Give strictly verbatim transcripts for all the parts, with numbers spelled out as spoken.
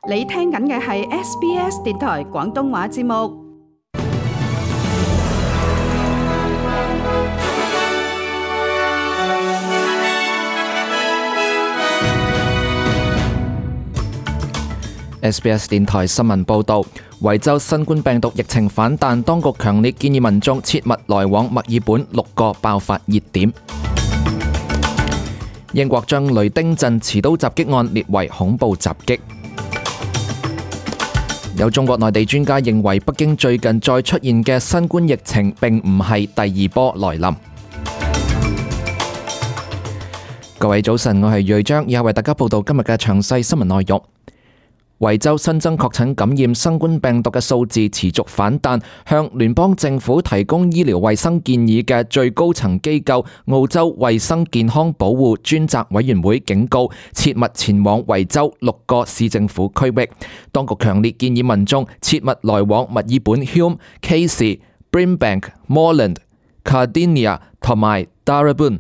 你聽緊嘅係 S B S 電台廣東話節目。S B S 電台新聞報導，維州新冠病毒疫情反彈，當局強烈建議民眾切勿來往墨爾本六個爆發熱點。英國將雷丁鎮持刀襲擊案列為恐怖襲擊。有中國內地專家認為，北京最近再出現嘅新冠疫情並唔係第二波來臨。各位早晨，我係瑞章，以下為大家報道今日嘅詳細新聞內容。維州新增確診感染新冠病毒嘅數字持續反彈，向聯邦政府提供醫療衛生建議嘅最高層機構澳洲衛生健康保護專責委員會警告，切勿前往維州六個市政府區域。當局強烈建議民眾切勿來往墨爾本 Hume、Casey、Brimbank、Moreland、Cardinia 同埋 Darebin。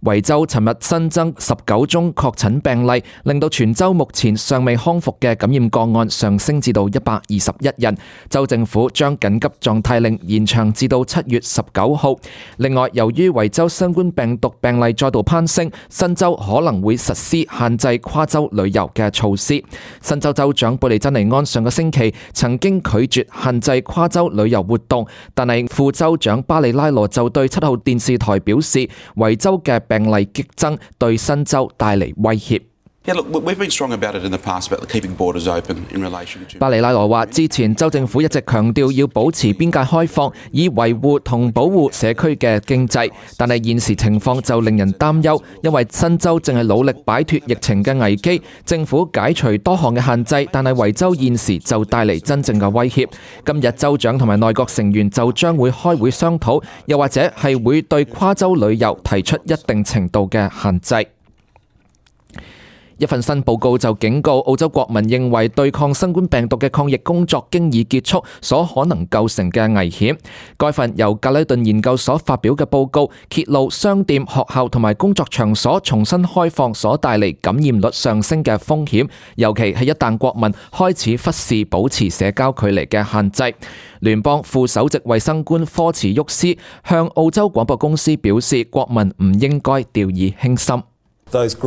維州尋日新增十九宗確診病例，令到全州目前尚未康復嘅感染個案上升至到一百二十一人。州政府將緊急狀態令延長至到七月十九號。另外，由於維州新冠病毒病例再度攀升，新州可能會實施限制跨州旅遊嘅措施。新州州長貝利珍尼安上個星期曾經拒絕限制跨州旅遊活動，但係副州長巴里拉羅就對七號電視台表示，維州嘅病例激增對新州帶嚟威脅。巴里拉羅話：之前州政府一直強調要保持邊界開放，以維護同保護社區嘅經濟，但係現時情況就令人擔憂，因為新州正係努力擺脫疫情嘅危機，政府解除多項嘅限制，但係維州現時就帶嚟真正嘅威脅。今日州長同埋內閣成員就將會開會商討，又或者係會對跨州旅遊提出一定程度嘅限制。一份新報告就警告澳洲國民認為對抗新冠病毒嘅抗疫工作經已結束所可能構成嘅危險。該份由格里頓研究所發表嘅報告揭露商店、學校同埋工作場所重新開放所帶嚟感染率上升嘅風險，尤其係一旦國民開始忽視保持社交距離嘅限制。聯邦副首席衛生官科茨沃斯向澳洲廣播公司表示，國民唔應該掉以輕心。科茨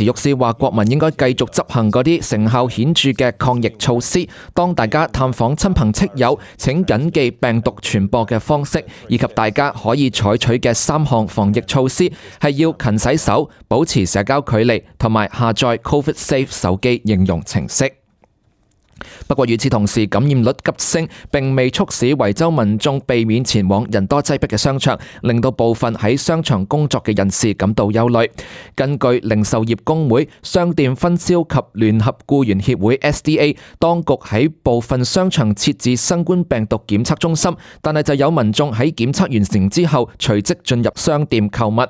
沃斯話：國民應該繼續執行嗰啲成效顯著嘅抗疫措施。當大家探訪親朋戚友，請謹記病毒傳播嘅方式，以及大家可以採取嘅三項防疫措施係要勤洗手、保持社交距離同埋下載 COVID Safe 手機應用程式。不過與此同時，感染率急升並未促使維州民眾避免前往人多擠迫嘅商場，令到部分喺商場工作嘅人士感到憂慮。根據零售業工會、商店分銷及聯合僱員協會 S D A， 當局喺部分商場設置新冠病毒檢測中心，但係就有民眾喺檢測完成之後隨即進入商店購物。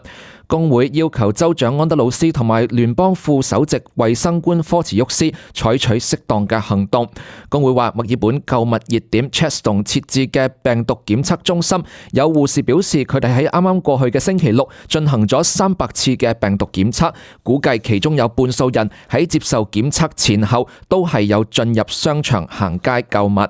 工會要求州長安德魯斯同埋聯邦副首席衛生官科茨沃斯採取適當嘅行動。工會話，墨爾本購物熱點 Chadstone 設置嘅病毒檢測中心，有護士表示佢哋喺啱啱過去嘅星期六進行咗三百次嘅病毒檢測，估計其中有半數人喺接受檢測前後都係有進入商場行街購物。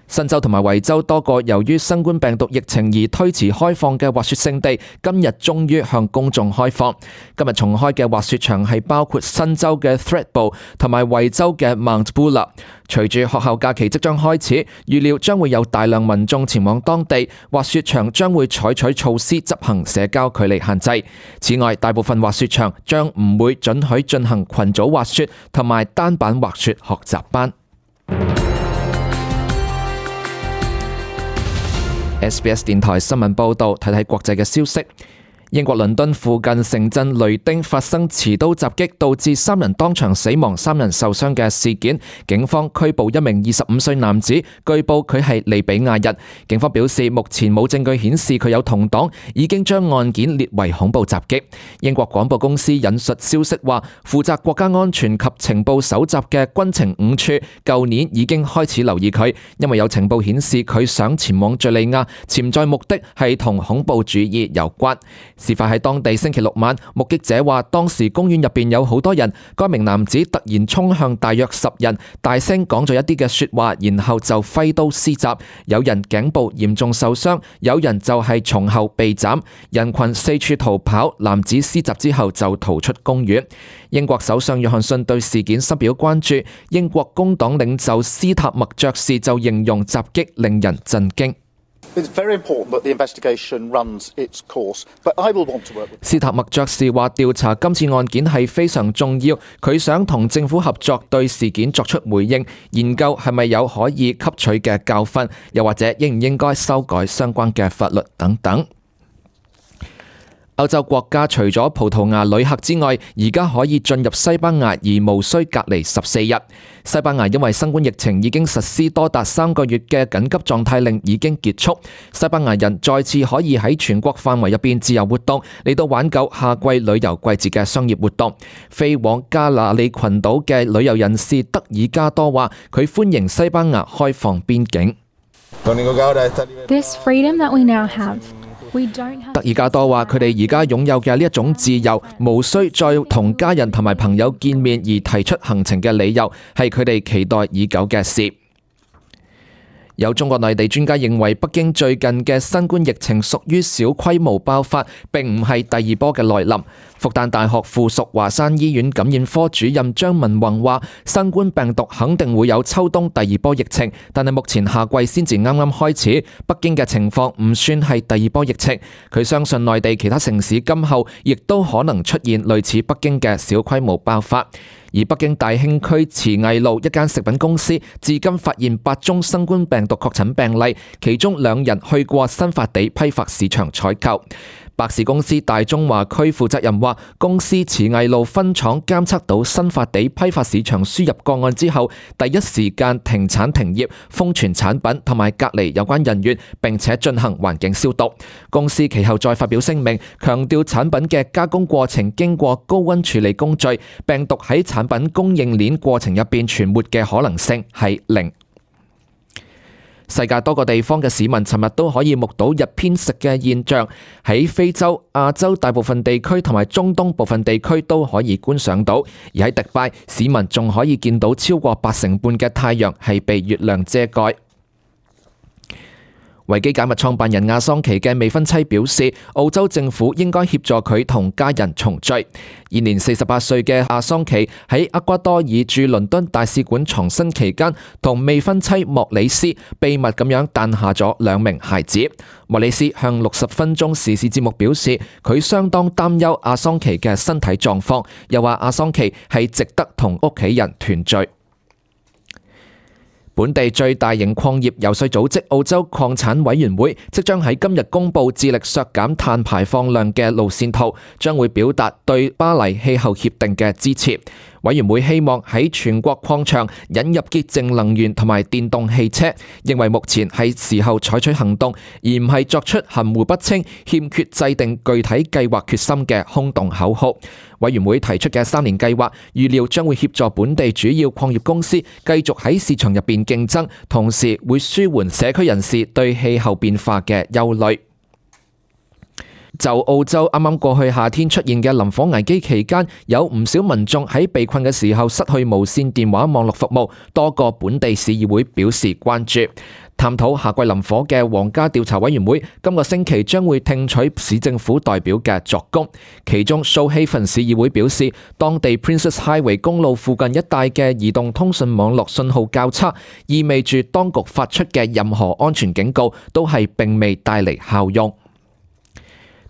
新州同埋維州多個由於新冠病毒疫情而推遲開放嘅滑雪勝地，今日終於向公眾開放。今日重開嘅滑雪場係包括新州嘅 Thredbo 同埋維州嘅 Mount Buller。隨住學校假期即將開始，預料將會有大量民眾前往當地，滑雪場將會採取措施執行社交距離限制。此外，大部分滑雪場將唔會准許進行群組滑雪同埋單板滑雪學習班。S B S 電台新聞報導，睇睇國際嘅消息。英國倫敦附近城鎮雷丁發生持刀襲擊，導致三人當場死亡、三人受傷嘅事件，警方拘捕一名二十五歲男子，據報佢係利比亞人。警方表示，目前冇證據顯示佢有同黨，已經將案件列為恐怖襲擊。英國廣播公司引述消息話，負責國家安全及情報搜集嘅軍情五處，舊年已經開始留意佢，因為有情報顯示佢想前往敘利亞，潛在目的係同恐怖主義有關。事發喺當地星期六晚，目擊者話當時公園入邊有好多人，該名男子突然衝向大約十人，大聲講咗一啲嘅說話，然後就揮刀施襲，有人頸部嚴重受傷，有人就係從後被斬，人群四處逃跑，男子施襲之後就逃出公園。英國首相約翰遜對事件深表關注，英國工黨領袖斯塔默爵士就形容襲擊令人震驚。斯塔默爵士話調查今次案件係非常重要，佢想同政府合作對事件作出回應，研究係咪有可以吸取嘅教訓，又或者應唔應該修改相關嘅法律等等。歐洲國家除咗葡萄牙旅客之外，而家可以進入西班牙而無需隔離十四日。西班牙因為新冠疫情已經實施多達三個月嘅緊急狀態令已經結束，西班牙人再次可以喺全國範圍入邊自由活動，嚟到挽救夏季旅遊季節嘅商業活動。飛往加那利群島嘅旅遊人士德爾加多話，佢歡迎西班牙開放邊境。This freedom that we now have.德爾加多話：佢哋而家擁有嘅呢一種自由，無需再同家人同埋朋友見面而提出行程嘅理由，係佢哋期待已久嘅事。有中國內地專家認為，北京最近嘅新冠疫情屬於小規模爆發，並唔係第二波嘅來臨。復旦大學附屬華山醫院感染科主任張文宏話：新冠病毒肯定會有秋冬第二波疫情，但係目前夏季先至啱啱開始，北京嘅情況唔算係第二波疫情。佢相信內地其他城市今後亦都可能出現類似北京嘅小規模爆發。而北京大興區慈藝路一間食品公司至今發現八宗新冠病毒確診病例，其中兩人去過新發地批發市場採購。百事公司大中華區負責人話，公司慈藝路分廠監測到新發地批發市場輸入個案之後，第一時間停產停業，封存產品同埋隔離有關人員，並且進行環境消毒。公司其後再發表聲明，強調產品嘅加工過程經過高溫處理工序，病毒喺產品供應鏈過程入邊存活嘅可能性係零。世界多個地方嘅市民尋日都可以目睹日偏食嘅現象，喺非洲、亞洲大部分地區同埋中東部分地區都可以觀賞到，而喺迪拜，市民仲可以見到超過八成半嘅太陽係被月亮遮蓋。維基解密創辦人阿桑奇嘅未婚妻表示，澳洲政府應該協助佢同家人重聚。現年四十八歲嘅阿桑奇喺厄瓜多爾駐倫敦大使館藏身期間，同未婚妻莫里斯秘密咁樣誕下咗兩名孩子。莫里斯向六十分鐘時事節目表示，佢相當擔憂阿桑奇嘅身體狀況，又話阿桑奇係值得同屋企人團聚。本地最大型礦業游說組織澳洲礦產委員會即將喺今日公布致力削減碳排放量嘅路線圖，將會表達對巴黎氣候協定嘅支持。委員會希望喺全國礦場引入潔淨能源同埋電動汽車，認為目前係時候採取行動，而唔係作出含糊不清、欠缺制定具體計劃決心嘅空洞口號。委員會提出嘅三年計劃，預料將會協助本地主要礦業公司繼續喺市場入邊競爭，同時會舒緩社區人士對氣候變化嘅憂慮。就澳洲啱啱過去夏天出現嘅林火危機期間，有唔少民眾喺被困嘅時候失去無線電話網絡服務，多個本地市議會表示關注。探討夏季林火嘅皇家調查委員會今個星期將會聽取市政府代表嘅作供，其中蘇希芬市議會表示，當地 Princess Highway 公路附近一帶嘅移動通訊網絡信號較差，意味住當局發出嘅任何安全警告都係並未帶嚟效用。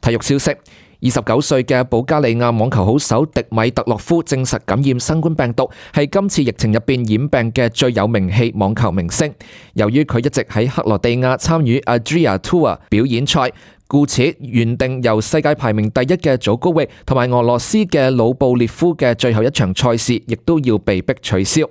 體育消息，二十九歲嘅保加利亞網球好手迪米特洛夫證實感染新冠病毒，係今次疫情入邊染病嘅最有名氣網球明星。由於佢一直喺克羅地亞參與 Adria Tour 表演賽，故此原定由世界排名第一嘅祖高域同埋俄羅斯嘅魯布列夫嘅最後一場賽事，亦都要被迫取消。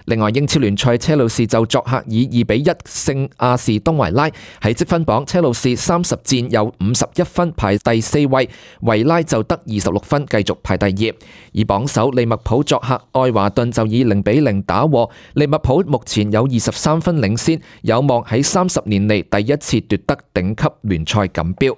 另外，英超聯賽車路士就作客以二比一勝亞士東維拉。喺積分榜，車路士三十戰有五十一分排第四位，維拉就得二十六分繼續排第二。而榜首利物浦作客愛華頓就以零比零打和，利物浦目前有二十三分領先，有望喺三十年嚟第一次奪得頂級聯賽錦標。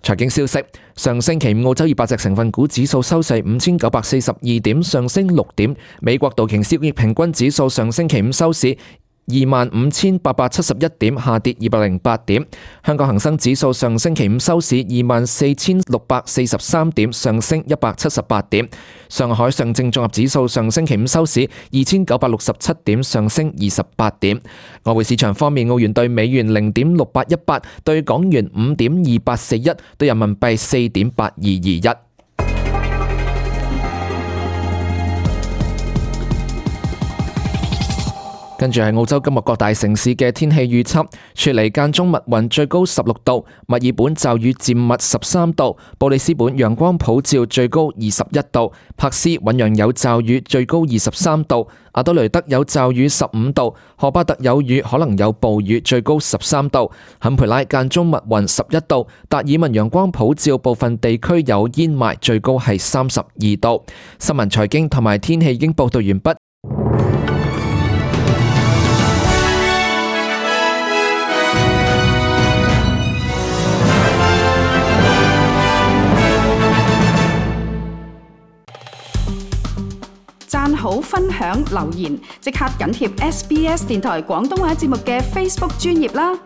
財經消息，上星期五澳洲二百隻成分股指數收市五千九百四十二點，上升六點。美國道瓊斯工業平均指數上星期五收市二萬五千八百七十一點，下跌二百零八點。香港恒生指數上星期五收市二萬四千六百四十三點，上升一百七十八點。上海上證綜合指數上星期五收市二千九百六十七點，上升二十八點。外匯市場方面，澳元兌美元零點六八一八，兌港元五點二八四一，兌人民幣四點八二二一。跟住係澳洲今日各大城市嘅天氣預測：雪梨間中密雲，最高十六度；墨爾本驟雨漸密十三度；布里斯本陽光普照，最高二十一度；珀斯醞釀有驟雨，最高二十三度；阿德雷德有驟雨十五度；荷巴特有雨，可能有暴雨，最高十三度；坎培拉間中密雲十一度；達爾文陽光普照，部分地區有煙霾，最高係三十二度。新聞財經同埋天氣已經報道完畢。讚好、分享、留言，即刻緊貼 S B S 電台廣東話節目嘅 Facebook 專頁啦！